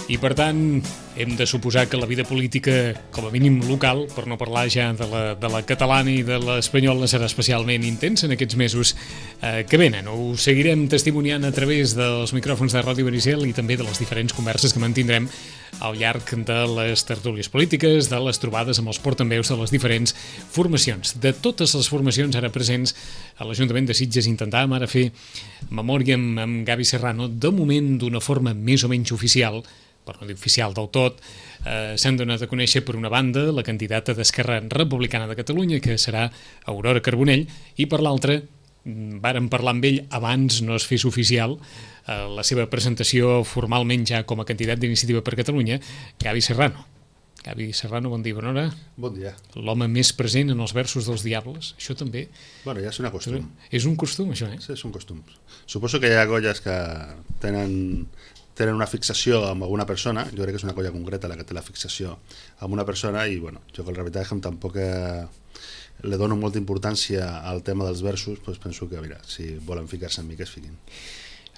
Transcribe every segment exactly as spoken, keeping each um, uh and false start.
I per tant hem de suposar que la vida política, com a mínim local, per no parlar ja de la, de la catalana i de l'espanyola, serà especialment intensa en aquests mesos eh, que venen. Ho seguirem testimoniant a través dels micròfons de Ràdio Benissel i també de les diferents converses que mantindrem al llarg de les tertúlies polítiques, de les trobades amb els portaveus de les diferents formacions. De totes les formacions ara presents a l'Ajuntament de Sitges intentàvem ara fer memòria amb, amb Gavi Serrano, de moment d'una forma més o menys oficial, per no dir oficial del tot, eh, s'han donat a conèixer per una banda la candidata d'Esquerra Republicana de Catalunya, que serà Aurora Carbonell, i per l'altra, vàrem parlar amb ell abans no es fes oficial eh, la seva presentació formalment ja com a candidat d'Iniciativa per Catalunya, Gavi Serrano. Gavi Serrano, bon dia, bona hora. Bon dia. L'home més present en els versos dels diables, això també... Bueno, ja és una costum. És un costum, això, eh? Sí, és un costum. Suposo que hi ha colles que tenen... tenen una fixació amb alguna persona. Jo crec que és una colla concreta la que té la fixació amb una persona i bueno, jo que la veritat és que tampoc eh, le dono molta importància al tema dels versos, doncs penso que mira, si volen ficar-se en mi que es fiquin.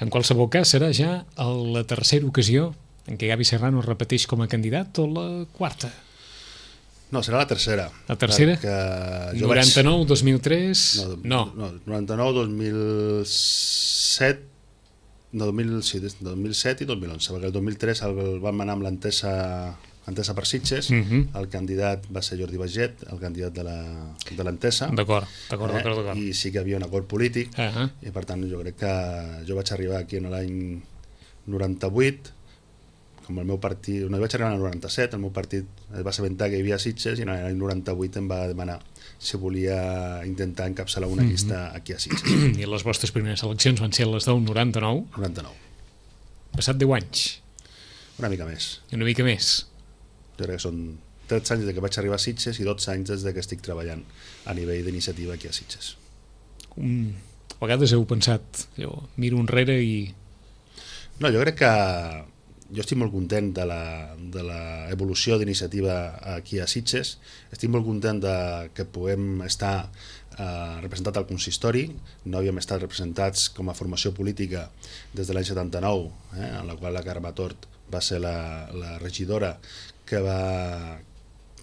En qualsevol cas serà ja la tercera ocasió en què Gavi Serrano repeteix com a candidat o la quarta? No, serà la tercera. La tercera? noranta-nou, vaig... dos mil tres... No, no. no noranta-nou, dos mil set... No, dos mil, sí, dos mil set i dos mil onze, perquè el dos mil tres el, el vam anar amb l'entesa entesa per Sitges, uh -huh. El candidat va ser Jordi Baget, el candidat de l'entesa. D'acord, d'acord, eh, d'acord, d'acord. I sí que hi havia un acord polític, uh -huh. i per tant jo crec que jo vaig arribar aquí en l'any noranta-vuit, com el meu partit, no, vaig arribar en el noranta-set, el meu partit es va assabentar que hi havia Sitges i en l'any noranta-vuit em va demanar si volia intentar encapçalar una llista aquí a Sitges. I les vostres primeres eleccions van ser les del noranta-nou? noranta-nou. Passat deu anys? Una mica més. Una mica més? Jo crec que són tretze anys des que vaig arribar a Sitges i dotze anys des que estic treballant a nivell d'iniciativa aquí a Sitges. Um, a vegades heu pensat, jo miro enrere i... No, jo crec que jo estic molt content de l'evolució d'iniciativa aquí a Sitges, estic molt content de que puguem estar eh, representat al consistori, no havíem estat representats com a formació política des de l'any setanta-nou, eh, en la qual la Carme Tort va ser la, la regidora que va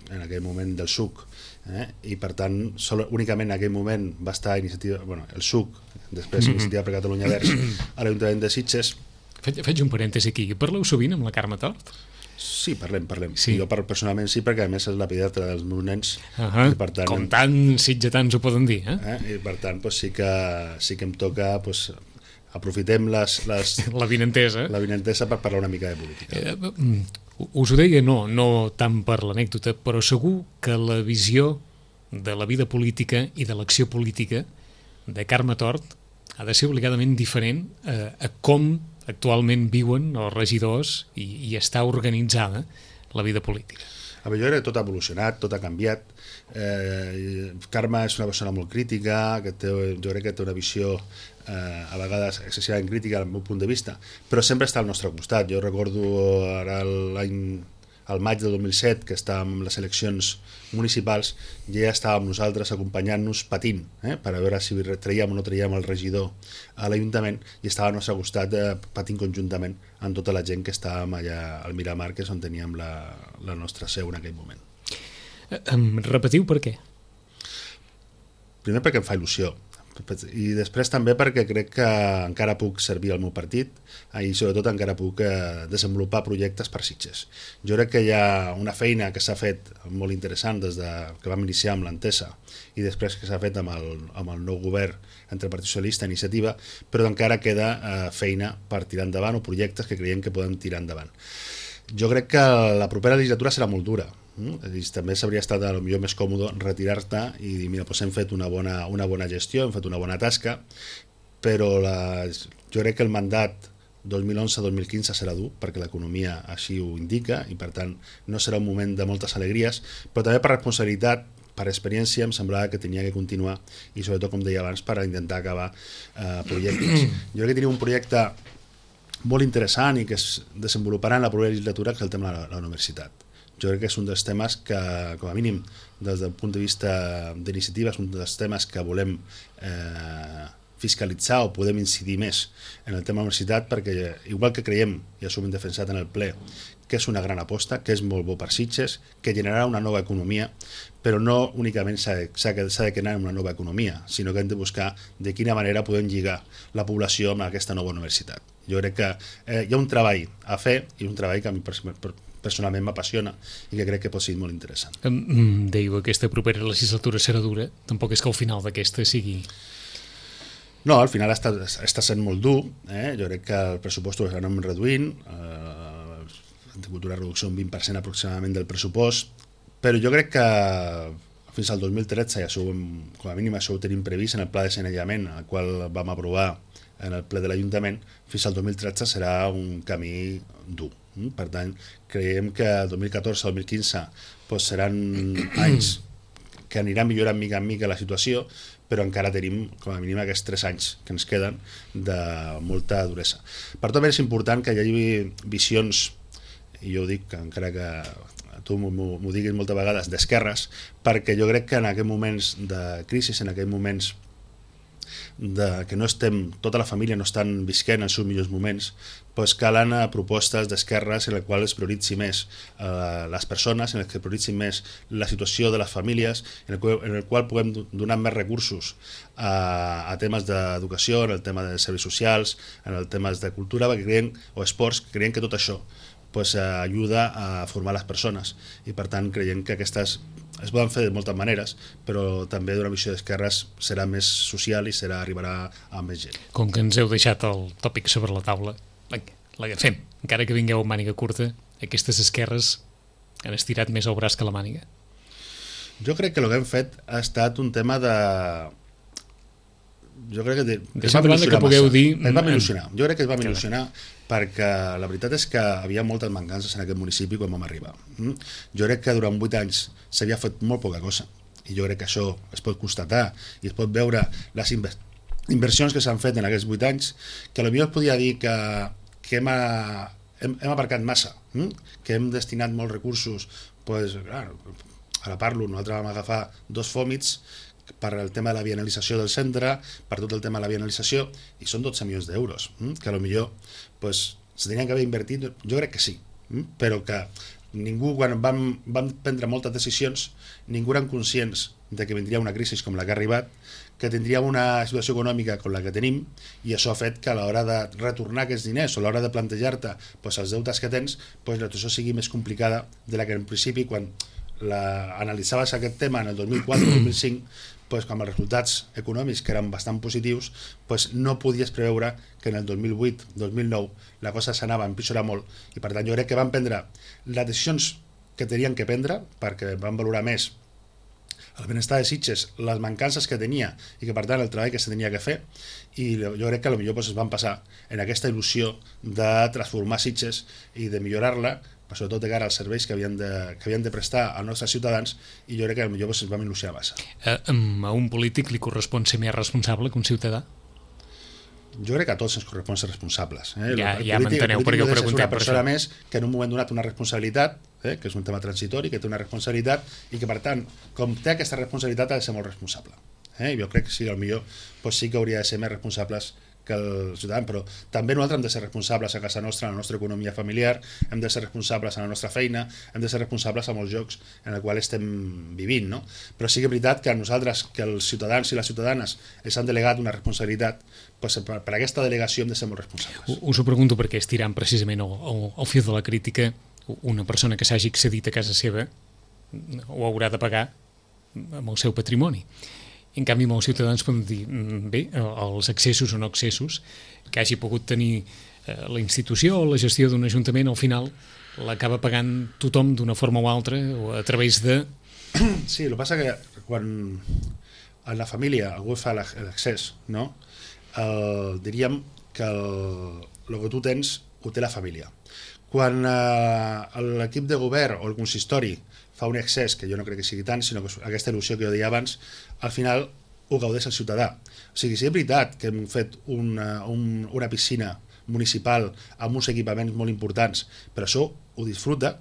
en aquell moment del S U C, eh, i per tant sol, únicament en aquell moment va estar iniciativa, bueno, el S U C, després Iniciativa per Catalunya Verds a l'Ajuntament de Sitges. Faig un parèntesi aquí. Parleu sovint amb la Carme Tort? Sí, parlem, parlem. Sí. Jo personalment sí, perquè a més és la pediatra dels meus nens. Uh -huh. I per tant, com tant sitgetans ho poden dir, eh? eh? I per tant pues, sí, que, sí que em toca... Pues, aprofitem les, les, la vinentesa. La vinentesa per parlar una mica de política. Eh, us ho deia, no, no tant per l'anècdota, però segur que la visió de la vida política i de l'acció política de Carme Tort ha de ser obligadament diferent a, a com actualment viuen els regidors i, i està organitzada la vida política. A veure, jo crec que tot ha evolucionat, tot ha canviat. Eh, Carme és una persona molt crítica, que té, jo crec que té una visió eh, a vegades excessivament crítica al meu punt de vista, però sempre està al nostre costat. Jo recordo ara l'any al maig del dos mil set, que estàvem en les eleccions municipals, i ja estàvem nosaltres acompanyant-nos patint, eh, per a veure si traiem o no traiem el regidor a l'Ajuntament, i estava al nostre costat eh, patint conjuntament amb tota la gent que estàvem allà al Miramar, que és on teníem la, la nostra seu en aquell moment. Em repetiu per què? Primer perquè em fa il·lusió, i després també perquè crec que encara puc servir al meu partit i sobretot encara puc eh, desenvolupar projectes per Sitges. Jo crec que hi ha una feina que s'ha fet molt interessant des de que vam iniciar amb l'entesa i després que s'ha fet amb el, amb el nou govern entre Partit Socialista i Iniciativa, però encara queda eh, feina per tirar endavant o projectes que creiem que podem tirar endavant. Jo crec que la propera legislatura serà molt dura. I també s'hauria estat a lo millor més còmode retirar-te i dir, mira, doncs hem fet una bona, una bona gestió, hem fet una bona tasca, però la, jo crec que el mandat dos mil onze dos mil quinze serà dur, perquè l'economia així ho indica, i per tant no serà un moment de moltes alegries, però també per responsabilitat, per experiència, em semblava que tenia que continuar, i sobretot, com deia abans, per intentar acabar eh, projectes. Jo crec que tenim un projecte molt interessant i que es desenvoluparà en la propera legislatura, que és el tema de la, la universitat. Jo crec que és un dels temes que, com a mínim, des del punt de vista d'iniciativa, és un dels temes que volem eh, fiscalitzar o podem incidir més en el tema de la universitat, perquè igual que creiem, i això ho hem defensat en el ple, que és una gran aposta, que és molt bo per Sitges, que generarà una nova economia, però no únicament s'ha de, s'ha de crear una nova economia, sinó que hem de buscar de quina manera podem lligar la població amb aquesta nova universitat. Jo crec que eh, hi ha un treball a fer, i un treball que a mi personalment m'apassiona i que crec que pot ser molt interessant. Dèieu, aquesta propera legislatura serà dura, tampoc és que al final d'aquesta sigui... No, al final està, està sent molt dur, eh? Jo crec que el pressupost ho anem reduint, eh, hem tingut una reducció d'un vint per cent aproximadament del pressupost, però jo crec que fins al dos mil tretze, i això, com a mínim això ho tenim previst en el pla de sanejament, el qual vam aprovar en el ple de l'Ajuntament, fins al dos mil tretze serà un camí dur. Per tant, creiem que el dos mil catorze dos mil quinze doncs seran anys que aniran millorant mica en mica la situació, però encara tenim com a mínim aquests tres anys que ens queden de molta duresa. Per tot és important que hi hagi visions, i jo ho dic, que encara que tu m'ho diguis moltes vegades, d'esquerres, perquè jo crec que en aquests moments de crisi, en aquests moments de, que no estem, tota la família no estan visquent els seus millors moments, doncs calen propostes d'esquerres en les quals es prioritzi més eh, les persones, en les que prioritzi més la situació de les famílies, en el qual, en el qual puguem donar més recursos a, a temes d'educació, en el tema de serveis socials, en el temes de cultura, perquè creiem, o esports, creiem que tot això pues, ajuda a formar les persones, i per tant creiem que aquestes es poden fer de moltes maneres, però també d'una visió d'esquerres serà més social i serà arribarà a més gent. Com que ens heu deixat el tòpic sobre la taula, l'agafem. Encara que vingueu amb màniga curta, aquestes esquerres han estirat més el braç que la màniga. Jo crec que el que hem fet ha estat un tema de... Jo crec que... De... Deixant de banda que pugueu dir... Es va il·lusionar. Jo crec que es va il·lusionar perquè la veritat és que havia moltes mancances en aquest municipi quan vam arribar. Jo crec que durant vuit anys s'havia fet molt poca cosa, i jo crec que això es pot constatar i es pot veure les inversions que s'han fet en aquests vuit anys, que potser es podia dir que, que hem, a, hem, hem aparcat massa, que hem destinat molts recursos. Pues, clar, ara parlo, nosaltres vam agafar dos fòmits per el tema de la bienalització del centre, per tot el tema de la bienalització, i són dotze milions d'euros, que potser pues, se tenien que haver invertit, jo crec que sí, però que ningú, quan vam, vam prendre moltes decisions, ningú eren conscients de que vindria una crisi com la que ha arribat, que tindríem una situació econòmica com la que tenim, i això ha fet que a l'hora de retornar aquests diners o a l'hora de plantejar-te pues, els deutes que tens, pues, la situació sigui més complicada de la que en principi, quan la, analitzaves aquest tema en el dos mil quatre dos mil cinc, pues, amb els resultats econòmics que eren bastant positius, pues, no podies preveure que en el dos mil vuit dos mil nou la cosa s'anava a empitjorar molt, i per tant jo crec que van prendre les decisions que tenien que prendre, perquè van valorar més el benestar de Sitges, les mancances que tenia i que per tant el treball que se tenia que fer, i jo crec que potser pues, es van passar en aquesta il·lusió de transformar Sitges i de millorar-la, sobretot de cara als serveis que havien de, que havien de prestar als nostres ciutadans, i jo crec que potser pues, ens vam il·lusionar massa. A, a un polític li correspon ser més responsable que un ciutadà? Jo crec que a tots ens correspon ser responsables. Eh? Ja, el ja m'enteneu perquè ho preguntem. És una persona més que en un moment donat una responsabilitat, eh? que és un tema transitori, que té una responsabilitat, i que per tant, com té aquesta responsabilitat, ha de ser molt responsable. Eh? I jo crec que sí, potser pues, sí que hauria de ser més responsables que el ciutadà, però també nosaltres hem de ser responsables a casa nostra, en la nostra economia familiar, hem de ser responsables en la nostra feina, hem de ser responsables amb els llocs en els quals estem vivint, no? Però sí que és veritat que a nosaltres, que els ciutadans i les ciutadanes ens han delegat una responsabilitat, pues per, per aquesta delegació hem de ser molt responsables. Us ho pregunto perquè estirant precisament al, al, al fil de la crítica, una persona que s'hagi accedit a casa seva ho haurà de pagar amb el seu patrimoni. En canvi, molts ciutadans poden dir, bé, els accessos o no accessos que hagi pogut tenir la institució o la gestió d'un ajuntament, al final l'acaba pagant tothom d'una forma o altra o a través de... Sí, el que passa que quan a la família algú fa l'accés, no? El, diríem que el, el que tu tens ho té la família. Quan eh, l'equip de govern o el consistori fa un excés, que jo no crec que sigui tant, sinó que aquesta il·lusió que jo deia abans, al final ho gaudeix el ciutadà. O sigui, si és veritat que hem fet una, un, una piscina municipal amb uns equipaments molt importants, però això ho disfruta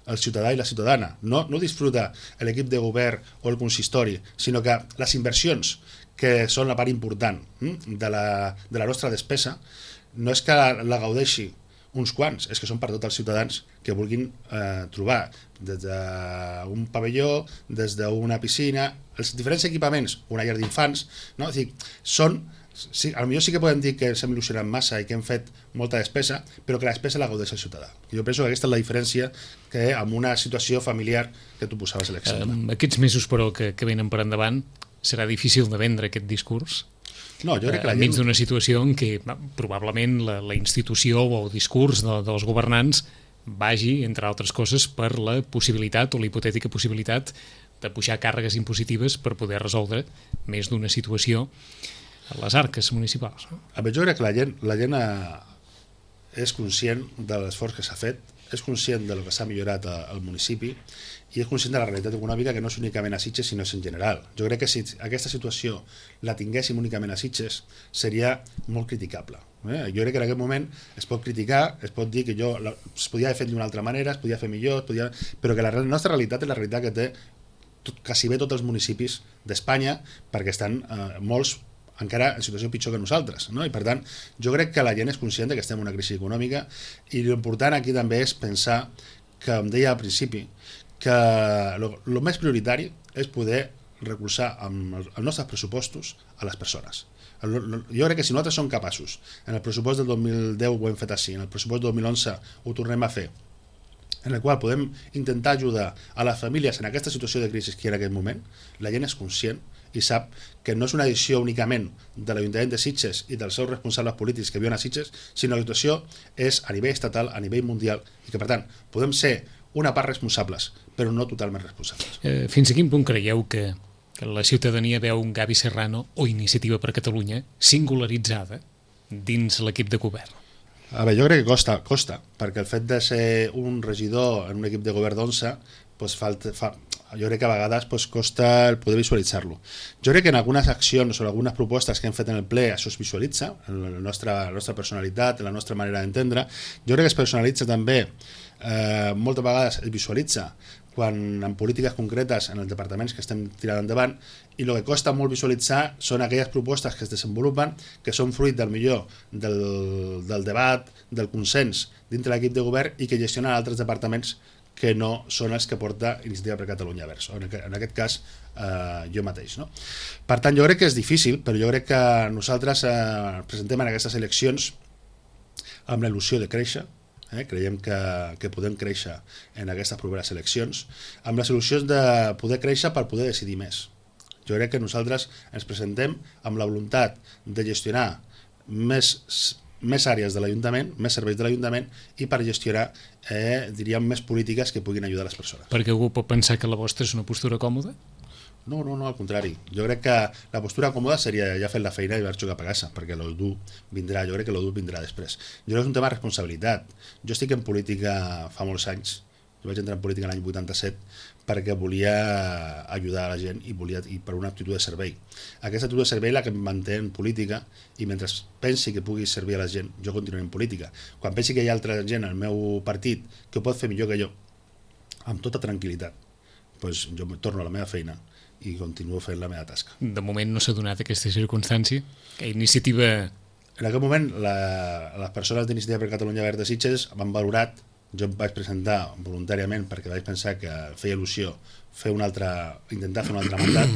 el ciutadà i la ciutadana. No, no ho disfruta l'equip de govern o el consistori, sinó que les inversions que són la part important de la, de la nostra despesa, no és que la, la gaudeixi uns quants, és que són per tots els ciutadans que vulguin eh, trobar des d'un pavelló, des d'una piscina, els diferents equipaments, una llar d'infants, no? És dir, són, sí, potser sí que podem dir que ens hem il·lusionat massa i que hem fet molta despesa, però que la despesa la gaudeix el ciutadà. Jo penso que aquesta és la diferència que amb una situació familiar que tu posaves a l'exemple. Um, aquests mesos, però, que, que venen per endavant, serà difícil de vendre aquest discurs? No, jo crec que la enmig gent... d'una situació en què probablement la, la institució o el discurs de, dels governants vagi, entre altres coses, per la possibilitat o la hipotètica possibilitat de pujar càrregues impositives per poder resoldre més d'una situació a les arques municipals. No? A veure, jo crec que la gent, la gent és conscient de l'esforç que s'ha fet, és conscient de lo que s'ha millorat al municipi i és conscient de la realitat econòmica, que no és únicament a Sitges sinó és en general. Jo crec que si aquesta situació la tinguéssim únicament a Sitges seria molt criticable. Eh? Jo crec que en aquest moment es pot criticar, es pot dir que jo la, es podia haver fet d'una altra manera, es podia fer millor, es podia... però que la nostra realitat és la realitat que té tot, quasi bé tots els municipis d'Espanya, perquè estan eh, molts encara en situació pitjor que nosaltres, no? I per tant, jo crec que la gent és conscient que estem en una crisi econòmica i l'important aquí també és pensar que, com deia al principi, que el més prioritari és poder recolzar amb els nostres pressupostos a les persones. Jo crec que si nosaltres som capaços, en el pressupost del dos mil deu ho hem fet així, en el pressupost del dos mil onze ho tornem a fer, en el qual podem intentar ajudar a les famílies en aquesta situació de crisi que hi ha en aquest moment, la gent és conscient i sap que no és una decisió únicament de l'Ajuntament de Sitges i dels seus responsables polítics que viuen a Sitges, sinó que la situació és a nivell estatal, a nivell mundial, i que per tant podem ser una part responsables, però no totalment responsables. Eh, fins a quin punt creieu que, que la ciutadania veu un Gavi Serrano o Iniciativa per Catalunya singularitzada dins l'equip de govern? A veure, jo crec que costa, costa, perquè el fet de ser un regidor en un equip de govern d'onze, pues falta, fa, jo crec que a vegades pues, costa el poder visualitzar-lo. Jo crec que en algunes accions o algunes propostes que hem fet en el ple això es visualitza, en la nostra, la nostra personalitat, en la nostra manera d'entendre. Jo crec que es personalitza també, eh, moltes vegades es visualitza quan en polítiques concretes en els departaments que estem tirant endavant, i el que costa molt visualitzar són aquelles propostes que es desenvolupen, que són fruit del millor del, del debat, del consens dintre l'equip de govern i que gestionen altres departaments que no són els que porta Iniciativa per Catalunya Verds, en aquest cas eh, jo mateix. No? Per tant, jo crec que és difícil, però jo crec que nosaltres eh, presentem en aquestes eleccions amb la il·lusió de créixer, eh? creiem que, que podem créixer en aquestes properes eleccions, amb les il·lusions de poder créixer per poder decidir més. Jo crec que nosaltres ens presentem amb la voluntat de gestionar més més àrees de l'Ajuntament, més serveis de l'Ajuntament i per gestionar, eh, diríem, més polítiques que puguin ajudar les persones. Perquè algú pot pensar que la vostra és una postura còmoda? No, no, no, al contrari. Jo crec que la postura còmoda seria ja fer la feina i marxar cap a casa, perquè lo dur vindrà, jo crec que lo dur vindrà després. Jo crec que és un tema de responsabilitat. Jo estic en política fa molts anys, jo vaig entrar en política l'any vuitanta-set perquè volia ajudar a la gent i volia i per una actitud de servei. Aquesta actitud de servei la que em manté en política i mentre pensi que pugui servir a la gent, jo continuaré en política. Quan pensi que hi ha altra gent al meu partit que ho pot fer millor que jo, amb tota tranquil·litat, doncs jo torno a la meva feina i continuo fent la meva tasca. De moment no s'ha donat aquesta circumstància? Que iniciativa... En aquest moment, la, les persones d'Iniciativa per Catalunya Verds de Sitges m'han valorat. Jo em vaig presentar voluntàriament perquè vaig pensar que feia il·lusió fer un altre, intentar fer un altre mandat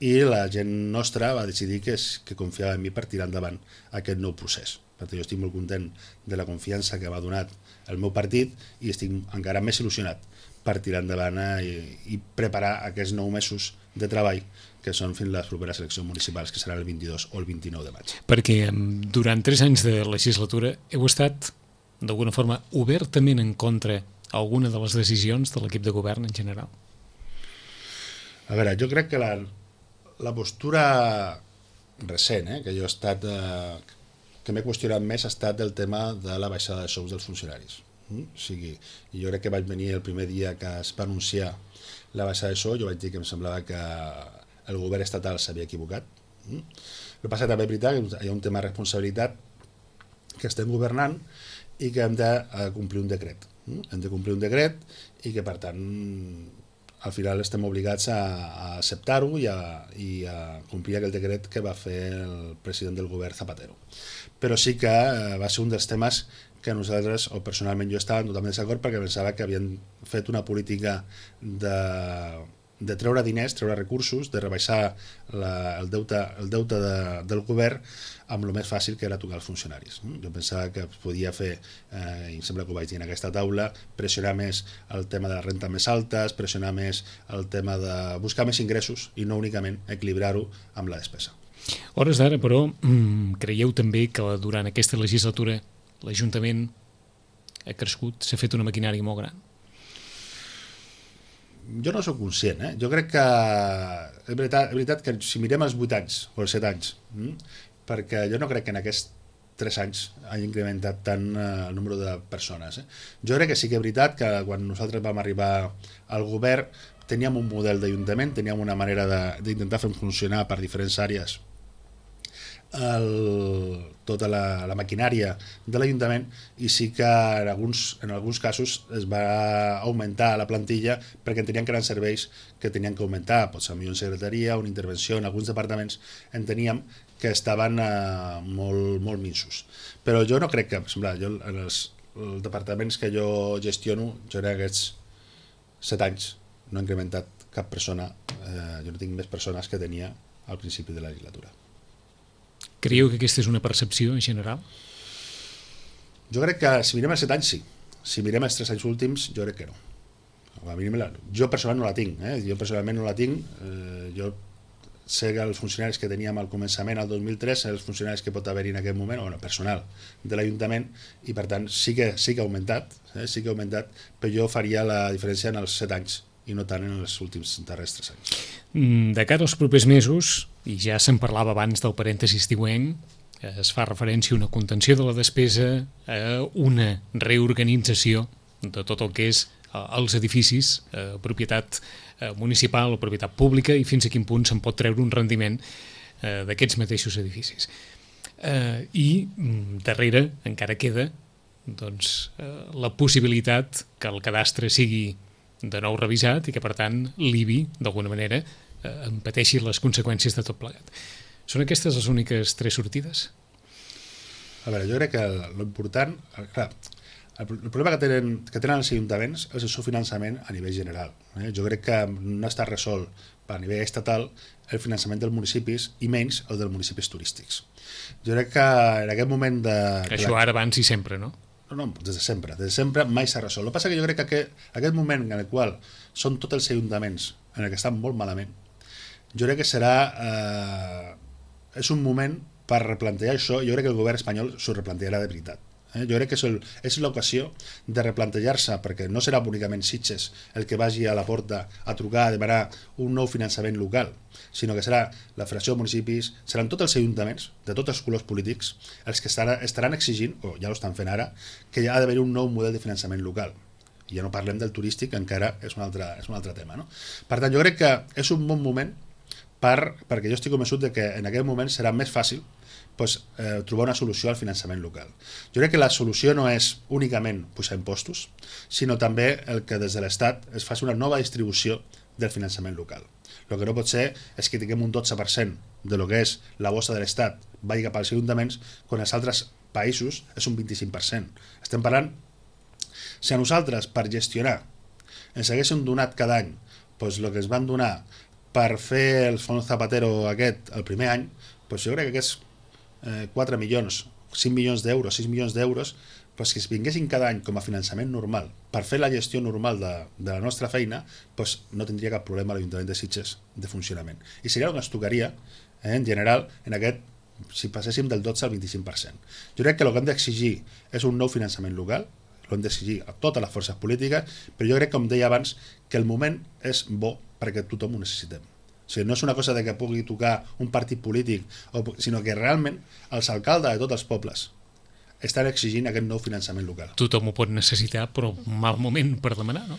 i la gent nostra va decidir que, és, que confiava en mi per tirar endavant aquest nou procés. Per tant, jo estic molt content de la confiança que m'ha donat el meu partit i estic encara més il·lusionat per tirar endavant i, i preparar aquests nou mesos de treball que són fins les properes eleccions municipals, que seran el vint-i-dos o el vint-i-nou de maig. Perquè durant tres anys de legislatura heu estat d'alguna forma obertament en contra alguna de les decisions de l'equip de govern en general? A veure, jo crec que la, la postura recent, eh, que jo he estat, eh, que m'he qüestionat més ha estat el tema de la baixada de sous dels funcionaris. Mm? O sigui, jo crec que vaig venir el primer dia que es va anunciar la baixada de sou, jo vaig dir que em semblava que el govern estatal s'havia equivocat. Mm? El que passa també és veritat que hi ha un tema de responsabilitat, que estem governant i que hem de complir un decret. Hem de complir un decret i que, per tant, al final estem obligats a, a acceptar-ho i, a, i a complir aquell decret que va fer el president del govern Zapatero. Però sí que eh, va ser un dels temes que nosaltres, o personalment jo estava totalment desacord, perquè pensava que havien fet una política de, de treure diners, treure recursos, de rebaixar la, el deute, el deute de, del govern amb el més fàcil, que era tocar els funcionaris. Jo pensava que es podia fer, eh, i em sembla que ho vaig dir en aquesta taula, pressionar més el tema de la renta més altes, pressionar més el tema de buscar més ingressos i no únicament equilibrar-ho amb la despesa. A hores d'ara, però, creieu també que durant aquesta legislatura l'Ajuntament ha crescut, s'ha fet una maquinària molt gran? Jo no soc conscient, eh? Jo crec que és veritat, és veritat que si mirem els vuit anys o els set anys, hm? perquè jo no crec que en aquests tres anys hagi incrementat tant eh, el número de persones. Eh? Jo crec que sí que és veritat que quan nosaltres vam arribar al govern teníem un model d'Ajuntament, teníem una manera d'intentar fer funcionar per diferents àrees el, tota la, la maquinària de l'Ajuntament, i sí que en alguns, en alguns casos es va augmentar la plantilla perquè enteníem que eren serveis que tenien que augmentar, potser una secretaria, una intervenció en alguns departaments, enteníem que estaven eh, molt, molt minsos. Però jo no crec que, per exemple, jo, en els, els departaments que jo gestiono, jo en aquests set anys no he incrementat cap persona, eh, jo no tinc més persones que tenia al principi de la legislatura. Creieu que aquesta és una percepció en general? Jo crec que si mirem els set anys sí, si mirem els tres anys últims jo crec que no. A mi, jo personalment no la tinc, eh? jo personalment no la tinc, eh, jo sé que els funcionaris que teníem al començament, al dos mil tres, els funcionaris que pot haver-hi en aquest moment, o bueno, personal de l'Ajuntament, i per tant sí que, sí que ha augmentat, eh? sí que ha augmentat, però jo faria la diferència en els set anys i no tant en els últims darrers tres anys. De cara als propers mesos, i ja se'n parlava abans del parèntesi estiuenc, es fa referència a una contenció de la despesa, a una reorganització de tot el que és els edificis, eh, propietat eh, municipal o propietat pública, i fins a quin punt se'n pot treure un rendiment eh, d'aquests mateixos edificis. Eh, I darrere encara queda doncs, eh, la possibilitat que el cadastre sigui de nou revisat i que, per tant, l'I B I, d'alguna manera, eh, en pateixi les conseqüències de tot plegat. Són aquestes les úniques tres sortides? A veure, jo crec que l'important... Clar, el problema que tenen, que tenen els ajuntaments és el seu finançament a nivell general. Eh? Jo crec que no està resolt a nivell estatal el finançament dels municipis i menys el dels municipis turístics. Jo crec que en aquest moment de... Això ara, abans i sempre, no? No, no, des de sempre, des de sempre mai s'ha resolt. El que passa que jo crec que aquest, aquest moment en el qual són tots els ajuntaments en el que estan molt malament, jo crec que serà eh, és un moment per replantejar això. Jo crec que el govern espanyol s'ho replantejarà de veritat. Eh? Jo crec que és, el, és l'ocasió de replantejar-se, perquè no serà únicament Sitges el que vagi a la porta a trucar a demanar un nou finançament local, sinó que serà la Federació de Municipis, seran tots els ajuntaments de tots els colors polítics els que estaran, estaran exigint, o ja ho estan fent ara, que hi ha d'haver un nou model de finançament local. I ja no parlem del turístic, encara és un altre, és un altre tema. No? Per tant, jo crec que és un bon moment per, perquè jo estic convençut de que en aquest moment serà més fàcil pues, eh, trobar una solució al finançament local. Jo crec que la solució no és únicament pujar impostos, sinó també el que des de l'Estat es faci una nova distribució del finançament local. El que no pot ser és que tinguem un dotze per cent de lo que és la bossa de l'Estat vagi cap als ajuntaments, quan als altres països és un vint-i-cinc per cent. Estem parlant, si a nosaltres per gestionar ens haguéssim donat cada any pues, el que ens van donar per fer el fons Zapatero aquest el primer any, pues, jo crec que aquests eh, quatre milions, cinc milions d'euros, sis milions d'euros, pues, que es vinguessin cada any com a finançament normal per fer la gestió normal de, de la nostra feina, pues, no tindria cap problema l'Ajuntament de Sitges de funcionament. I seria el que ens tocaria, eh, en general, en aquest, si passéssim del dotze al vint-i-cinc per cent. Jo crec que el que hem d'exigir és un nou finançament local, l'hem d'exigir a totes les forces polítiques, però jo crec, com deia abans, que el moment és bo perquè tothom ho necessitem. O sigui, no és una cosa de que pugui tocar un partit polític, o, sinó que realment els alcaldes de tots els pobles estan exigint aquest nou finançament local. Tothom ho pot necessitar, però un mal moment per demanar, no?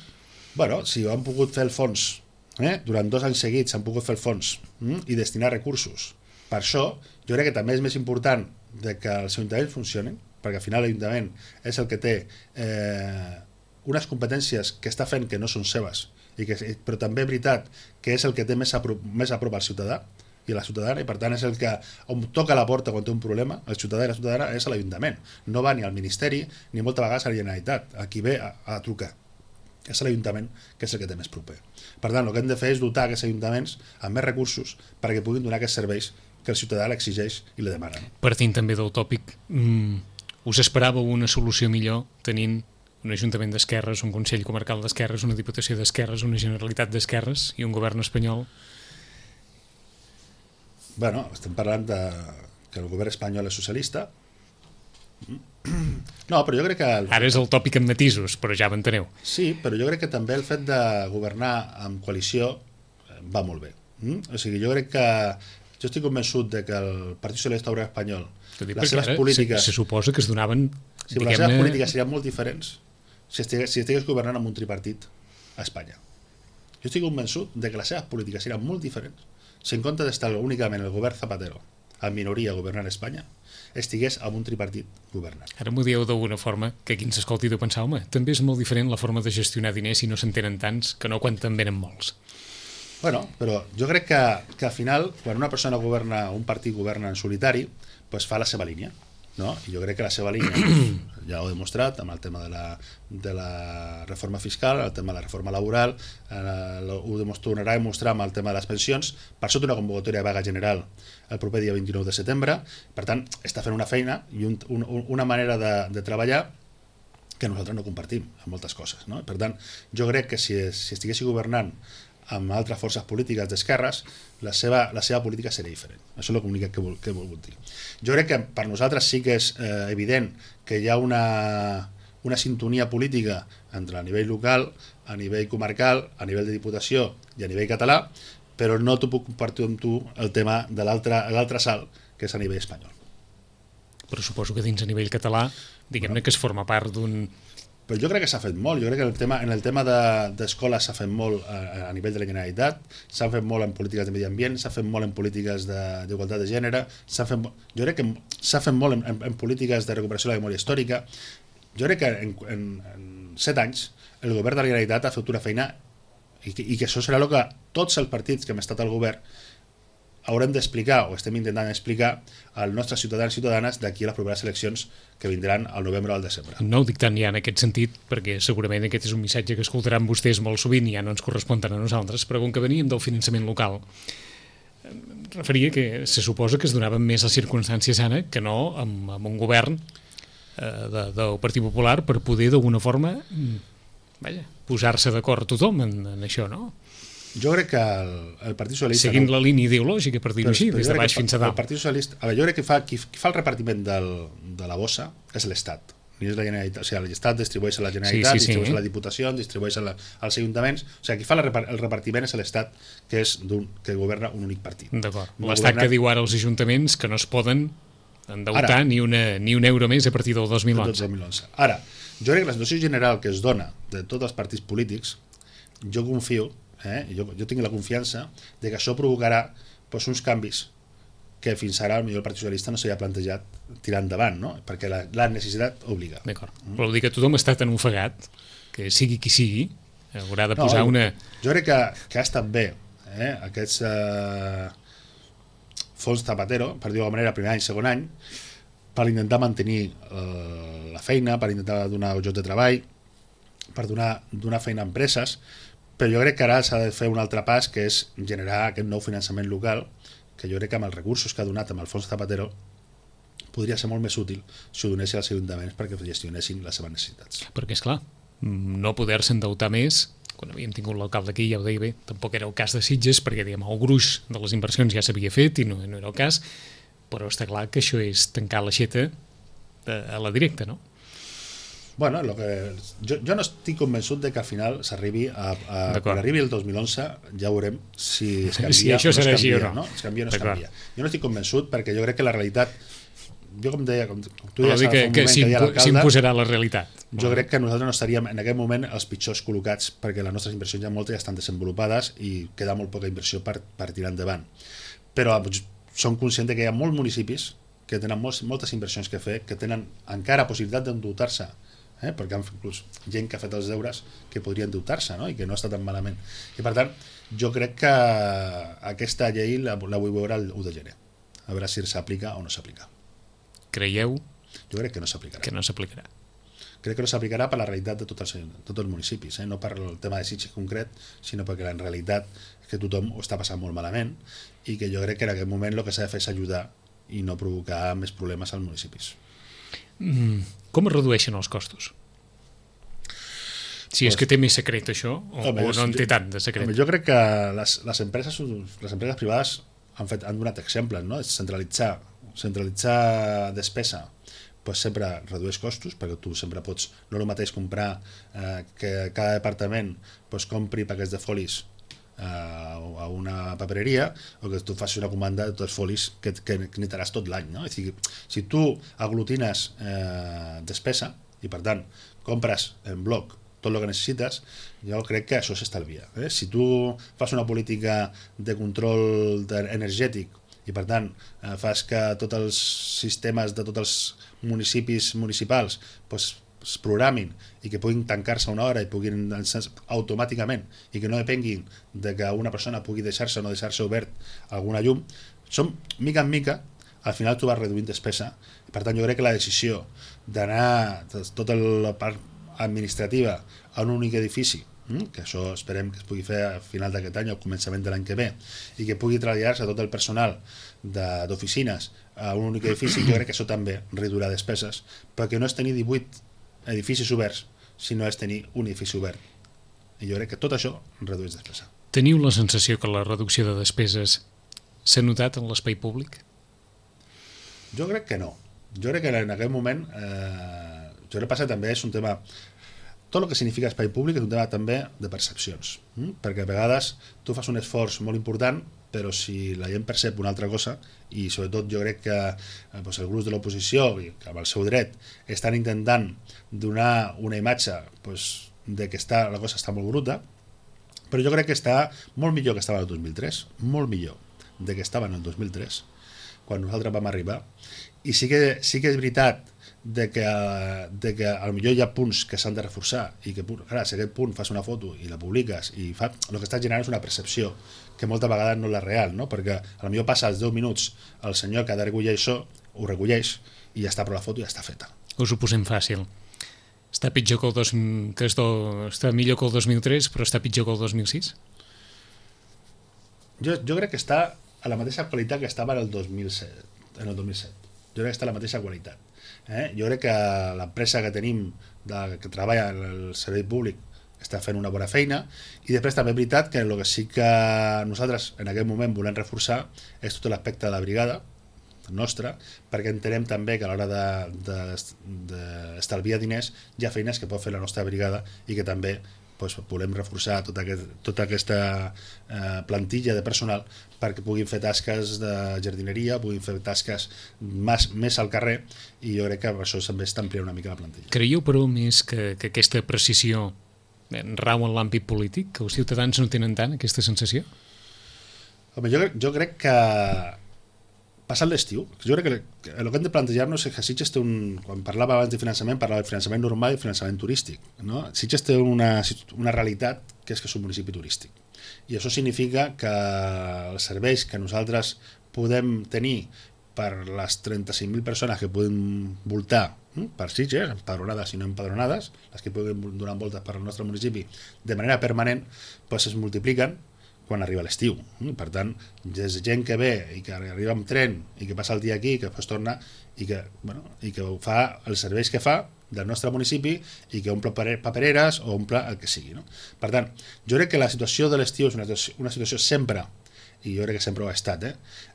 Bueno, si han pogut fer el fons, eh? durant dos anys seguits han pogut fer el fons hm? i destinar recursos. Per això, jo crec que també és més important de que els ajuntaments funcionin, perquè al final l'Ajuntament és el que té eh, unes competències que està fent que no són seves I que, però també és veritat que és el que té més a prop, més a prop al ciutadà i a la ciutadana, i per tant és el que on toca la porta quan té un problema, el ciutadà i la ciutadana, és a l'Ajuntament. No va ni al Ministeri ni moltes vegades a la Generalitat. Aquí ve a, a trucar. És l'Ajuntament que és el que té més proper. Per tant, el que hem de fer és dotar aquests ajuntaments amb més recursos perquè puguin donar aquests serveis que el ciutadà l'exigeix i li demana. No? Partint també del tòpic, mm, us esperàveu una solució millor tenint un Ajuntament d'esquerres, un Consell Comarcal d'esquerres, una Diputació d'esquerres, una Generalitat d'esquerres i un govern espanyol? Bueno, estem parlant de que el govern espanyol és socialista. No, però jo crec que... El... Ara és el tòpic en matisos, però ja m'enteneu. Sí, però jo crec que també el fet de governar amb coalició va molt bé. Mm? O sigui, jo crec que... Jo estic convençut de que el Partit Socialista Obrer Espanyol, les seves polítiques... Se, se suposa que es donaven... Sí, però les seves polítiques serien molt diferents si estigués, si estigués governant amb un tripartit a Espanya. Jo estic convençut de que les seves polítiques serien molt diferents si en compte d'estar únicament el govern Zapatero en minoria governant Espanya, estigués amb un tripartit governant. Ara m'ho dieu d'alguna forma que qui ens escolti deu pensar, home, també és molt diferent la forma de gestionar diners si no se'n tenen tants que no quan te'n venen molts. Bueno, però jo crec que, que al final, quan una persona governa, un partit governa en solitari, pues fa la seva línia. No? I jo crec que la seva línia doncs, ja ho he demostrat amb el tema de la, de la reforma fiscal, el tema de la reforma laboral, eh, ho tornarà a demostrar amb el tema de les pensions. Per això té una convocatòria de vaga general el proper dia vint-i-nou de setembre. Per tant, està fent una feina i un, un, una manera de, de treballar que nosaltres no compartim en moltes coses. No? Per tant, jo crec que si, si estiguessi governant amb altres forces polítiques d'esquerres, la seva, la seva política seria diferent. Això és el comunicat que, vol, que he volgut dir. Jo crec que per nosaltres sí que és eh, evident que hi ha una, una sintonia política entre a nivell local, a nivell comarcal, a nivell de diputació i a nivell català, però no t'ho puc compartir amb tu el tema de l'altre salt, que és a nivell espanyol. Però suposo que dins a nivell català, diguem-ne bueno, que es forma part d'un... Però jo crec que s'ha fet molt, jo crec que el tema, en el tema d'escola de, s'ha fet molt a, a nivell de la Generalitat, s'ha fet molt en polítiques de medi ambient, s'ha fet molt en polítiques d'igualtat de, de gènere, s'ha fet, jo crec que s'ha fet molt en, en, en polítiques de recuperació de la memòria històrica. Jo crec que en, en, en set anys el govern de la Generalitat ha fet una feina i que, i que això serà el que tots els partits que hem estat al govern haurem d'explicar, o estem intentant explicar als nostres ciutadans i ciutadanes d'aquí a les properes eleccions que vindran al novembre o al desembre. No ho dic tant ja en aquest sentit, perquè segurament aquest és un missatge que escoltaran vostès molt sovint i ja no ens correspon tant a nosaltres, però com que veníem del finançament local, em referia que se suposa que es donaven més les circumstàncies ara que no amb, amb un govern eh, de, del Partit Popular per poder d'alguna forma vaja, posar-se d'acord tothom en, en això, no? Jo crec que el, el Partit Socialista... Seguint no, la línia ideològica, per dir-ho així, des de baix fins a dalt. El Partit Socialista... A veure, jo crec que fa, qui, qui fa el repartiment del, de la bossa és l'Estat. No és la Generalitat. O sigui, l'Estat distribueix a la Generalitat, sí, sí, distribueix sí. a la Diputació, distribueix a la, als ajuntaments... O sigui, qui fa la, el repartiment és l'Estat, que és que governa un únic partit. D'acord. No L'Estat governa... que diu ara als ajuntaments que no es poden endeutar ara, ni, una, ni un euro més a partir del dos mil onze. dos mil onze. Ara, jo crec que la situació general que es dona de tots els partits polítics, jo confio Eh? Jo, jo tinc la confiança de que això provocarà doncs, uns canvis que fins ara potser el Partit Socialista no s'havia plantejat tirar endavant, no? Perquè la, la necessitat obliga. D'acord, mm. però vol dir que tothom està tan ofegat que sigui qui sigui haurà de posar no, una... Jo crec que, que ha estat bé eh? aquests eh, fons Zapatero, per dir-ho de manera, primer any, segon any, per intentar mantenir eh, la feina, per intentar donar llocs de treball, per donar, donar feina a empreses, però jo crec que ara s'ha de fer un altre pas, que és generar aquest nou finançament local, que jo crec que amb els recursos que ha donat amb el fons Zapatero podria ser molt més útil si ho donessin als ajuntaments perquè gestionessin les seves necessitats. Perquè, és clar, no poder-se endeutar més, quan havíem tingut l'alcalde aquí, ja ho deia bé, tampoc era el cas de Sitges, perquè diguem, el gruix de les inversions ja s'havia fet i no, no era el cas, però està clar que això és tancar l'aixeta a la directa, no? Bueno, lo que, jo, jo no estic convençut de que al final s'arribi a, a quan arribi el dos mil onze ja veurem si es canvia, si això o no es canvia, o no. no? Es canvia o no es canvia. Jo no estic convençut perquè jo crec que la realitat, jo com deia, com tu deies que, fa un que moment que deia l'alcalde, s'imposarà la realitat. Jo crec que nosaltres no estaríem en aquest moment els pitjors col·locats perquè les nostres inversions ja moltes ja estan desenvolupades i queda molt poca inversió per, per tirar endavant. Però som conscients que hi ha molts municipis que tenen molts, moltes inversions que fer, que tenen encara possibilitat d'endeutar-se eh? Perquè han inclús gent que ha fet els deures que podrien endeutar-se, no? I que no està tan malament. I per tant, jo crec que aquesta llei la, la vull veure el u de gener, a veure si s'aplica o no s'aplica. Creieu? Jo crec que no s'aplicarà. Que no s'aplicarà. Crec que no s'aplicarà per la realitat de tots els, tots els municipis, eh? No per el tema de Sitges concret, sinó perquè en realitat és que tothom ho està passant molt malament i que jo crec que en aquest moment el que s'ha de fer és ajudar i no provocar més problemes als municipis. Mm, com es redueixen els costos? Si és que té més secret això, o, home, o no en té tant de secret. Home, jo crec que les, les, empreses, les empreses privades han, fet, han donat exemples, no? Centralitzar, centralitzar despesa pues sempre redueix costos, perquè tu sempre pots, no el mateix comprar eh, que cada departament pues, compri paquets de folis eh, a una papereria, o que tu facis una comanda de tots els folis que, que, que necessitaràs tot l'any, no? És a dir, si tu aglutines eh, despesa i per tant compres en bloc tot el que necessites, jo crec que això s'estalvia. Eh? Si tu fas una política de control energètic i per tant eh, fas que tots els sistemes de tots els municipis municipals pues, es programin i que puguin tancar-se una hora i puguin automàticament i que no depenguin de que una persona pugui deixar-se o no deixar-se obert alguna llum, som mica en mica al final tu vas reduint despesa i per tant jo crec que la decisió d'anar tota la part administrativa a un únic edifici, que això esperem que es pugui fer a final d'aquest any o al començament de l'any que ve, i que pugui traslladar-se tot el personal d'oficines a un únic edifici, jo crec que això també reduirà despeses, perquè no és tenir divuit edificis oberts, sinó és tenir un edifici obert. I jo crec que tot això redueix despesa. Teniu la sensació que la reducció de despeses s'ha notat en l'espai públic? Jo crec que no. Jo crec que en aquest moment eh, jo crec que passa també és un tema. Tot el que significa espai públic és un tema també de percepcions, hm? Perquè a vegades tu fas un esforç molt important, però si la gent percep una altra cosa, i sobretot jo crec que eh, doncs el grup de l'oposició, amb el seu dret, estan intentant donar una imatge doncs, de que està, la cosa està molt bruta, però jo crec que està molt millor que estava el dos mil tres, molt millor de que estava en el dos mil tres, quan nosaltres vam arribar, i sí que, sí que és veritat de que, de que potser hi ha punts que s'han de reforçar i que clar, si aquest punt fas una foto i la publiques i fa, el que estàs generant és una percepció que moltes vegades no és la real, no? Perquè potser passa els deu minuts el senyor que ha de recollir això, ho recolleix i ja està, però la foto ja està feta. Us ho posem fàcil. Està pitjor que el dos, que es do, està millor que el dos mil tres, però està pitjor que el dos mil sis? Jo, jo crec que està a la mateixa qualitat que estava en el dos mil set. En el dos mil set. Jo crec que està a la mateixa qualitat. Eh? Jo crec que l'empresa que tenim de, que treballa en el servei públic està fent una bona feina i després també és veritat que el que sí que nosaltres en aquest moment volem reforçar és tot l'aspecte de la brigada nostra, perquè entenem també que a l'hora d'estalviar de, de, diners hi ha feines que pot fer la nostra brigada i que també doncs, volem reforçar tota, aquest, tota aquesta eh, plantilla de personal perquè puguin fer tasques de jardineria, puguin fer tasques més, més al carrer i jo crec que això també està ampliant una mica la plantilla. Creieu, però, més que, que aquesta precisió rau en l'àmbit polític, que els ciutadans no tenen tant aquesta sensació? Home, jo, jo crec que passat l'estiu, jo crec que el que hem de plantejar-nos és que Sitges té un, quan parlava abans de finançament, parlava de finançament normal i finançament turístic, no? Sitges té una, una realitat que és que és un municipi turístic i això significa que els serveis que nosaltres podem tenir per les trenta-cinc mil persones que podem voltar hm, per Sitges, empadronades i no empadronades, les que puguin donar voltes per al nostre municipi de manera permanent, doncs es multipliquen quan arriba l'estiu. Per tant, és gent que ve i que arriba amb tren i que passa el dia aquí i que després torna i que, bueno, i que fa els serveis que fa del nostre municipi i que omple papereres o omple el que sigui. No? Per tant, jo crec que la situació de l'estiu és una, una situació sempre, i jo crec que sempre ho ha estat, eh,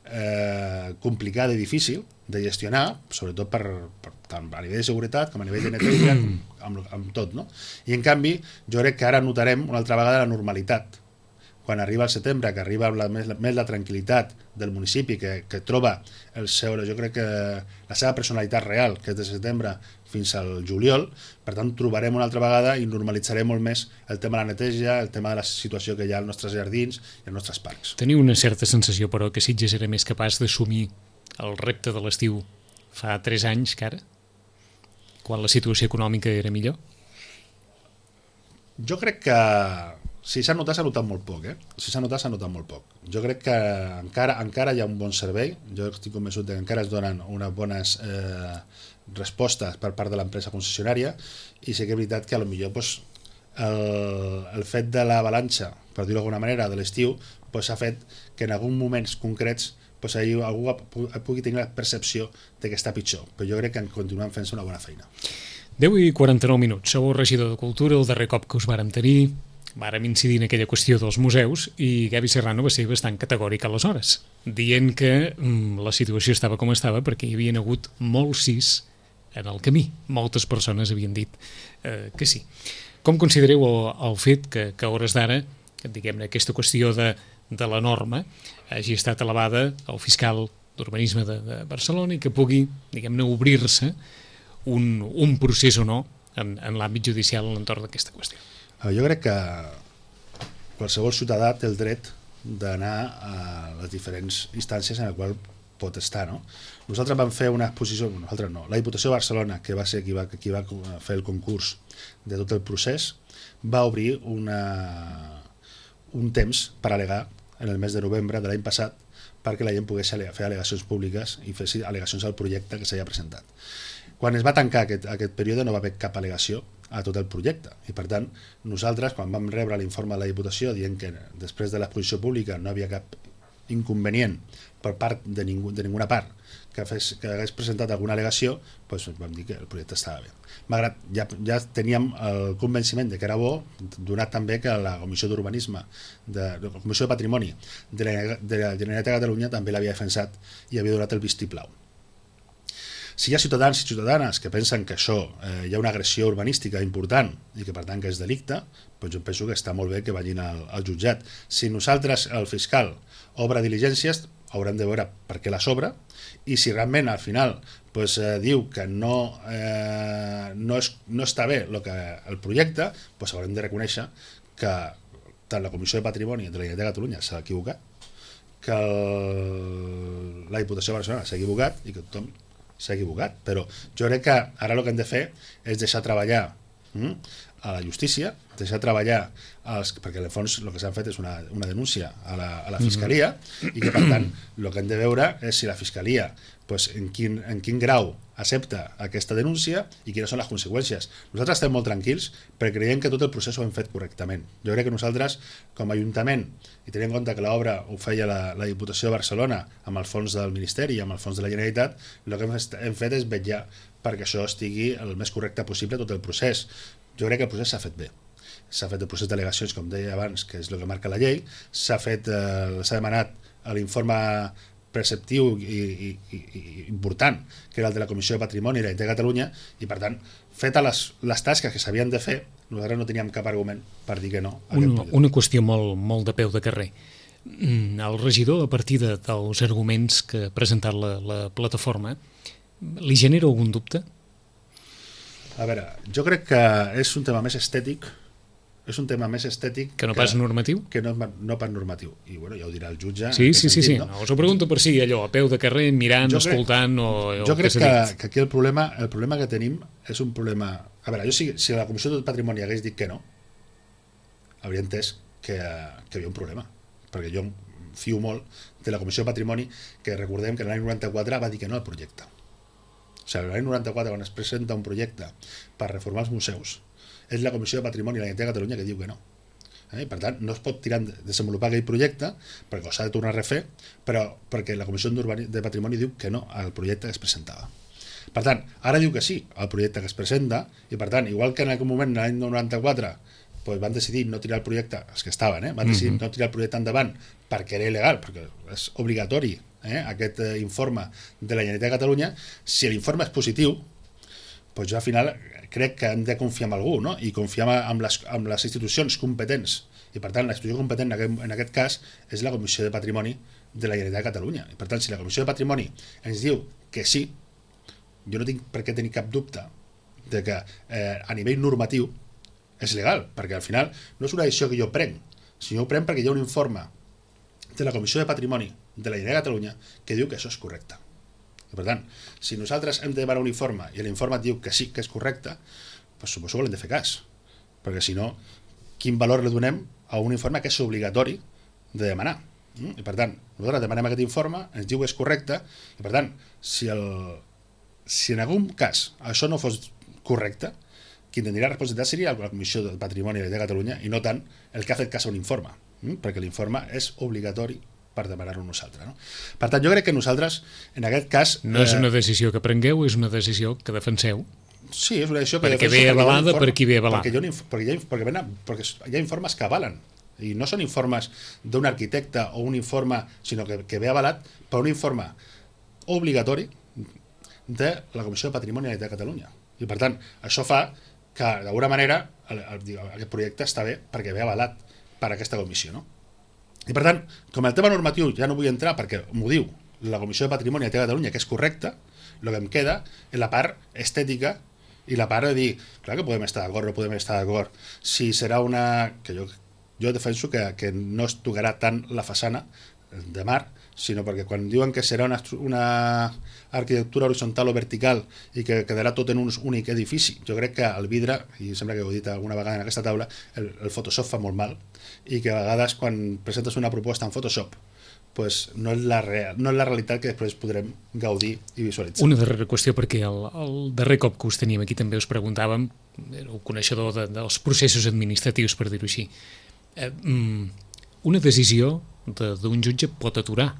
eh, complicada i difícil de gestionar, sobretot per, per, tant a nivell de seguretat com a nivell de neteja, amb, amb tot. No? I en canvi, jo crec que ara notarem una altra vegada la normalitat. Quan arriba el setembre, que arriba la, més, més la tranquil·litat del municipi, que, que troba el seu, jo crec que la seva personalitat real, que és de setembre fins al juliol, per tant trobarem una altra vegada i normalitzarem molt més el tema de la neteja, el tema de la situació que hi ha als nostres jardins i als nostres parcs. Teniu una certa sensació, però, que Sitges era més capaç d'assumir el repte de l'estiu fa tres anys que ara? quan la situació econòmica era millor? Jo crec que si s'ha notat, s'ha notat molt poc, eh? Si s'ha notat, s'ha notat molt poc. Jo crec que encara, encara hi ha un bon servei, jo estic convençut que encara es donen unes bones eh, respostes per part de l'empresa concessionària, i sé que és veritat que a lo millor pues, el, el fet de l'avalanxa, per dir-ho d'alguna manera, de l'estiu, pues, ha fet que en alguns moments concrets pues, algú pugui tenir la percepció de que està pitjor, però jo crec que continuen fent-se una bona feina. deu i quaranta-nou minuts, sou el regidor de Cultura, el darrer cop que us vàrem tenir, vàrem incidir en aquella qüestió dels museus i Gavi Serrano va ser bastant categòric aleshores, dient que mm, la situació estava com estava perquè hi havia hagut molts sís en el camí. Moltes persones havien dit eh, que sí. Com considereu el, el fet que, que a hores d'ara, diguem-ne, aquesta qüestió de, de la norma hagi estat elevada al fiscal d'urbanisme de, de Barcelona i que pugui, diguem-ne, obrir-se un, un procés o no en, en l'àmbit judicial a l'entorn d'aquesta qüestió? Jo crec que qualsevol ciutadà té el dret d'anar a les diferents instàncies en les quals pot estar, no? Nosaltres vam fer una exposició, nosaltres no, la Diputació de Barcelona, que va ser qui va, qui va fer el concurs de tot el procés, va obrir una, un temps per al·legar en el mes de novembre de l'any passat perquè la gent pogués fer al·legacions públiques i fer al·legacions al projecte que s'havia presentat. Quan es va tancar aquest, aquest període no va haver cap al·legació a tot el projecte i per tant nosaltres quan vam rebre l'informe de la Diputació dient que després de l'exposició pública no havia cap inconvenient per part de, ningú, de ninguna part que, fes, que hagués presentat alguna al·legació, doncs vam dir que el projecte estava bé. Malgrat ja, ja teníem el convenciment de que era bo, donat també que la Comissió d'Urbanisme, de, la Comissió de Patrimoni de la, de la Generalitat de Catalunya també l'havia defensat i havia donat el vistiplau. Si hi ha ciutadans i ciutadanes que pensen que això eh, hi ha una agressió urbanística important i que per tant que és delicte, doncs jo penso que està molt bé que vagin al, al jutjat. Si nosaltres, el fiscal, obre diligències, haurem de veure per què les obre i si realment al final pues, eh, diu que no, eh, no, és, no està bé lo que, el projecte, pues, haurem de reconèixer que tant la Comissió de Patrimoni de la Generalitat de Catalunya s'ha equivocat, que el, la Diputació de Barcelona s'ha equivocat i que tothom s'ha equivocat, però jo crec que ara el que hem de fer és deixar treballar hm, a la justícia, deixar treballar els, perquè en el fons el que s'han fet és una, una denúncia a la, a la Fiscalia mm-hmm. i que per tant el que hem de veure és si la Fiscalia pues, en, quin, en quin grau accepta aquesta denúncia i quines són les conseqüències. Nosaltres estem molt tranquils perquè creiem que tot el procés ho hem fet correctament. Jo crec que nosaltres, com a Ajuntament, i tenint en compte que l'obra ho feia la, la Diputació de Barcelona amb el fons del Ministeri i amb el fons de la Generalitat, el que hem, hem fet és vetllar perquè això estigui el més correcte possible tot el procés. Jo crec que el procés s'ha fet bé. S'ha fet el procés d'al·legacions, com deia abans, que és el que marca la llei, s'ha fet, eh, s'ha demanat l'informe preceptiu i, i, i, i important, que era el de la Comissió de Patrimoni i la Generalitat de Catalunya, i per tant, fetes les, les tasques que s'havien de fer, nosaltres no teníem cap argument per dir que no. Una, una qüestió molt, molt de peu de carrer. El regidor, a partir de, dels arguments que ha presentat la, la plataforma, li genera algun dubte? A veure, jo crec que és un tema més estètic, és un tema més estètic que no pas que, normatiu? Que no, no pas normatiu. I bueno, ja ho dirà el jutge. Sí, sí, sentit, sí, sí. No? No, us ho pregunto per si allò, a peu de carrer, mirant, jo escoltant crec, o, o jo crec que, que, que aquí el problema, el problema que tenim és un problema... A veure, jo si, si la Comissió de Patrimoni hagués dit que no, hauria entès que, que hi havia un problema, perquè jo fio molt de la Comissió de Patrimoni, que recordem que l'any noranta-quatre va dir que no al projecte. O sigui, l'any noranta-quatre, quan es presenta un projecte per reformar els museus, és la Comissió de Patrimoni de la Generalitat de Catalunya que diu que no. Eh? Per tant, no es pot tirar a desenvolupar aquell projecte perquè s'ha de tornar a refer, però perquè la Comissió de Patrimoni diu que no al projecte que es presentava. Per tant, ara diu que sí al projecte que es presenta i per tant, igual que en aquell moment, l'any noranta-quatre, pues van decidir no tirar el projecte, els que estaven, eh? van decidir mm-hmm. no tirar el projecte endavant perquè era il·legal, perquè és obligatori eh? aquest eh, informe de la Generalitat de Catalunya, si l'informe és positiu, pues jo al final crec que hem de confiar en algú, no? I confiar en les, en les institucions competents. I per tant, la institució competent en aquest, en aquest cas és la Comissió de Patrimoni de la Generalitat de Catalunya. I per tant, si la Comissió de Patrimoni ens diu que sí, jo no tinc per què tenir cap dubte de que eh, a nivell normatiu és legal, perquè al final no és una decisió que jo prenc, sinó ho prenc perquè hi ha un informe de la Comissió de Patrimoni de la Generalitat de Catalunya que diu que això és correcte. I per tant, si nosaltres hem de demanar un informe i l'informe et diu que sí, que és correcte, doncs suposo que l'hem de fer cas, perquè si no, quin valor li donem a un informe que és obligatori de demanar? I per tant, nosaltres demanem aquest informe, ens diu que és correcte, i per tant, si, el, si en algun cas això no fos correcte, qui tindria la responsabilitat seria la Comissió de Patrimoni de Catalunya i no tant el que ha fet cas a un informe, perquè l'informe és obligatori per demanar-ho nosaltres. No? Per tant, jo crec que nosaltres, en aquest cas... No és una decisió que prengueu, és una decisió que defenseu. Sí, és una decisió que perquè defenso... Perquè ve avalada per qui ve avalat. Perquè, hi ha, perquè, hi ha, perquè, ven, perquè hi ha informes que avalen, i no són informes d'un arquitecte o un informe, sinó que, que ve avalat per un informe obligatori de la Comissió de Patrimoni de Catalunya. I per tant, això fa que d'alguna manera el, el, aquest projecte està bé perquè ve avalat per aquesta comissió, no? I per tant, com el tema normatiu ja no vull entrar perquè m'ho diu la Comissió de Patrimoni de Catalunya que és correcte, el que em queda és la part estètica i la part de dir, clar que podem estar d'acord, no podem estar d'acord, si serà una... que jo Jo defenso que, que no es tocarà tant la façana de mar, sinó perquè quan diuen que serà una, una arquitectura horitzontal o vertical i que quedarà tot en un únic edifici, jo crec que el vidre, i sembla que ho he dit alguna vegada en aquesta taula, el, el Photoshop fa molt mal, i que a vegades quan presentes una proposta en Photoshop pues no és la real, no és la realitat que després podrem gaudir i visualitzar. Una darrera qüestió, perquè el, el darrer cop que us teníem aquí també us preguntàvem, éreu coneixedor de, dels processos administratius, per dir-ho així. Eh, una decisió d'un jutge pot aturar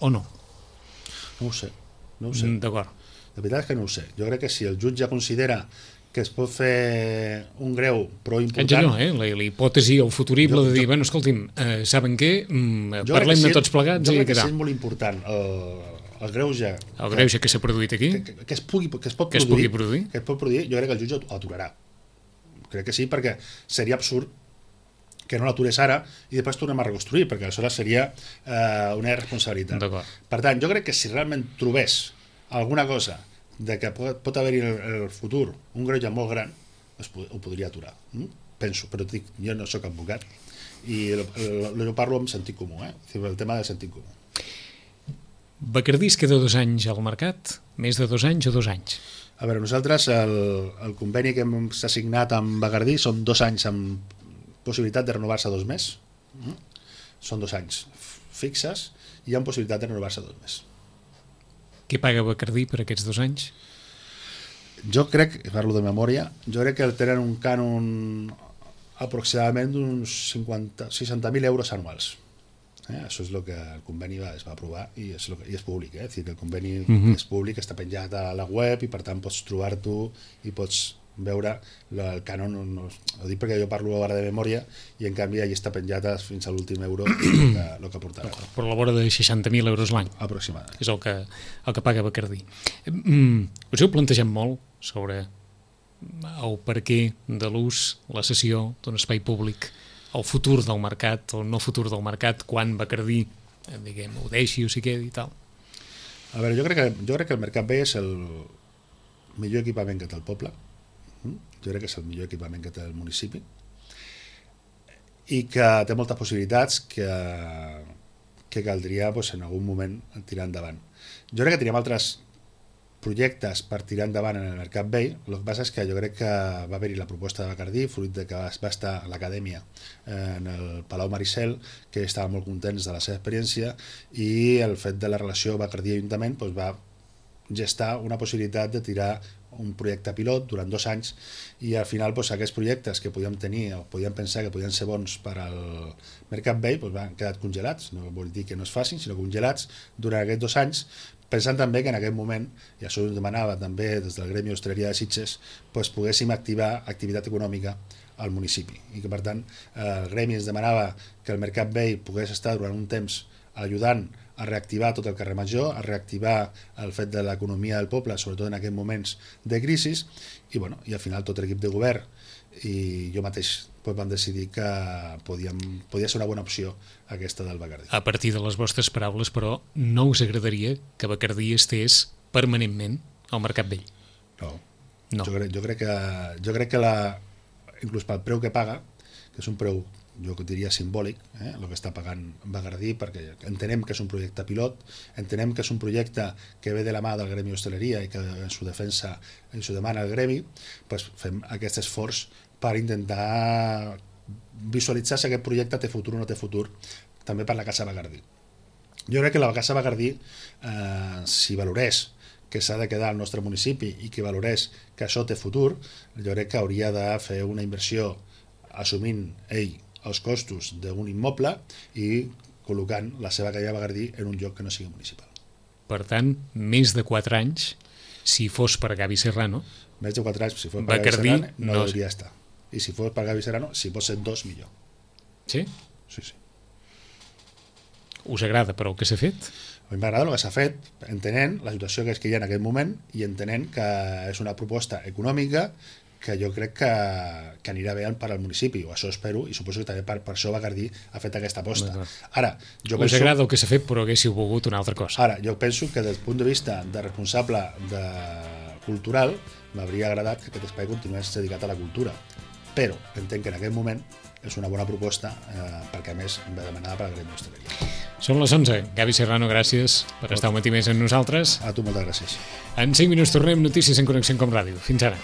o no? No ho sé, no ho sé. D'acord. La veritat és que no ho sé. Jo crec que si el jutge considera que es pot fer un greu però important... Allò, eh? La, la hipòtesi o el futurible jo, de dir, jo, bueno, escolti'm, eh, saben què? Mm, parlem de tots plegats jo i crec que tal. sí és molt important el, el greuge... El greuge que s'ha produït aquí? Que, que, que, es pugui, que es pot que produir, es pugui produir? Que es pot produir, jo crec que el jutge ho aturarà. Crec que sí, perquè seria absurd que no l'atures ara i després tornem a reconstruir, perquè aleshores seria eh, una irresponsabilitat. Per tant, jo crec que si realment trobés alguna cosa de que pot, pot haver-hi en el, el futur un greuge molt gran, es, ho podria aturar. Mm? Penso, però dic, jo no sóc advocat i jo parlo amb sentit comú, eh? El tema del sentit comú. Bacardí es queda dos anys al mercat? Més de dos anys o dos anys? A veure, nosaltres el, el conveni que s'ha signat amb Bacardí són dos anys amb possibilitat de renovar-se dos més. Mm? Són dos anys fixes i hi ha possibilitat de renovar-se dos més. Què paga Bacardí per aquests dos anys? Jo crec, parlo de memòria, jo crec que tenen un cànon aproximadament d'uns seixanta mil euros anuals. Eh? Això és el que el conveni va, es va aprovar i és, que, i és públic, eh? És dir, el conveni uh-huh. és públic, està penjat a la web i per tant pots trobar-t'ho i pots veure el cànon, no, ho dic perquè jo parlo ara de memòria i en canvi allà està penjat fins a l'últim euro el que, el que portarà. Per la vora de seixanta mil euros l'any. Aproximadament. És el que, el que paga Bacardí. Mm, us heu plantejat molt sobre el perquè de l'ús, la cessió d'un espai públic, el futur del mercat o el no futur del mercat quan Bacardí, diguem, ho deixi o s'hi quedi i tal? A veure, jo crec que, jo crec que el Mercat Vell és el millor equipament que té el poble. Jo crec que és el millor equipament que té el municipi i que té moltes possibilitats que, que caldria doncs, en algun moment tirar endavant. Jo crec que teníem altres projectes per tirar endavant en el Mercat Vell. El que passa és que jo crec que va haver-hi la proposta de Bacardí, fruit de que va estar a l'acadèmia en el Palau Maricel, que estaven molt contents de la seva experiència, i el fet de la relació Bacardí-Ajuntament doncs, va gestar una possibilitat de tirar un projecte pilot durant dos anys i al final doncs, aquests projectes que podíem tenir o podíem pensar que podien ser bons per al Mercat Vell doncs, han quedat congelats, no vol dir que no es facin, sinó congelats durant aquests dos anys, pensant també que en aquest moment, i això ho demanava també des del Gremi d'Hostaleria de Sitges, doncs poguéssim activar activitat econòmica al municipi i que per tant el Gremi ens demanava que el Mercat Vell pogués estar durant un temps ajudant a reactivar tot el carrer Major, a reactivar el fet de l'economia del poble, sobretot en aquests moments de crisi, i, bueno, i al final tot l'equip de govern i jo mateix pues, vam decidir que podíem, podia ser una bona opció aquesta del Bacardí. A partir de les vostres paraules, però, no us agradaria que Bacardí estés permanentment al Mercat Vell? No. no. Jo, crec, jo crec que, jo crec que la, inclús pel preu que paga, que és un preu jo diria simbòlic, eh, el que està pagant Bagaردí, perquè entenem que és un projecte pilot, entenem que és un projecte que ve de la mà del gremi d'hostaleria i que en su defensa ens ho demana el gremi, doncs fem aquest esforç per intentar visualitzar si aquest projecte té futur o no té futur, també per la Casa Bagaردí. Jo crec que la Casa Bagaردí, eh, si valorés que s'ha de quedar al nostre municipi i que valorés que això té futur, jo crec que hauria de fer una inversió assumint ell els costos d'un immoble i col·locant la seva calle Bagaردí en un lloc que no sigui municipal. Per tant, més de quatre anys, si fos per Gavi Serrano... Més de quatre anys, si fos per Bagaردí, Gavi Serrano, no, no hauria estar. I si fos per Gavi Serrano, si pot ser dos, millor. Sí? Sí, sí. Us agrada, però, el que s'ha fet? A mi m'agrada el que s'ha fet, entenent la situació que és que hi ha en aquest moment i entenent que és una proposta econòmica que jo crec que, que anirà bé per al municipi, o això espero, i suposo que també per, per això Bagaردí ha fet aquesta aposta. Ara, jo Us penso, agrada el que s'ha fet, però haguéssiu volgut una altra cosa. Ara, jo penso que des del punt de vista de responsable de cultural m'hauria agradat que aquest espai continués dedicat a la cultura, però entenc que en aquest moment és una bona proposta, eh, perquè a més va demanada per la gremi d'hostaleria. Són les onze. Gavi Serrano, gràcies per estar un matí més amb nosaltres. A tu moltes gràcies. En cinc minuts tornem, notícies en Connexió Com Ràdio. Fins ara.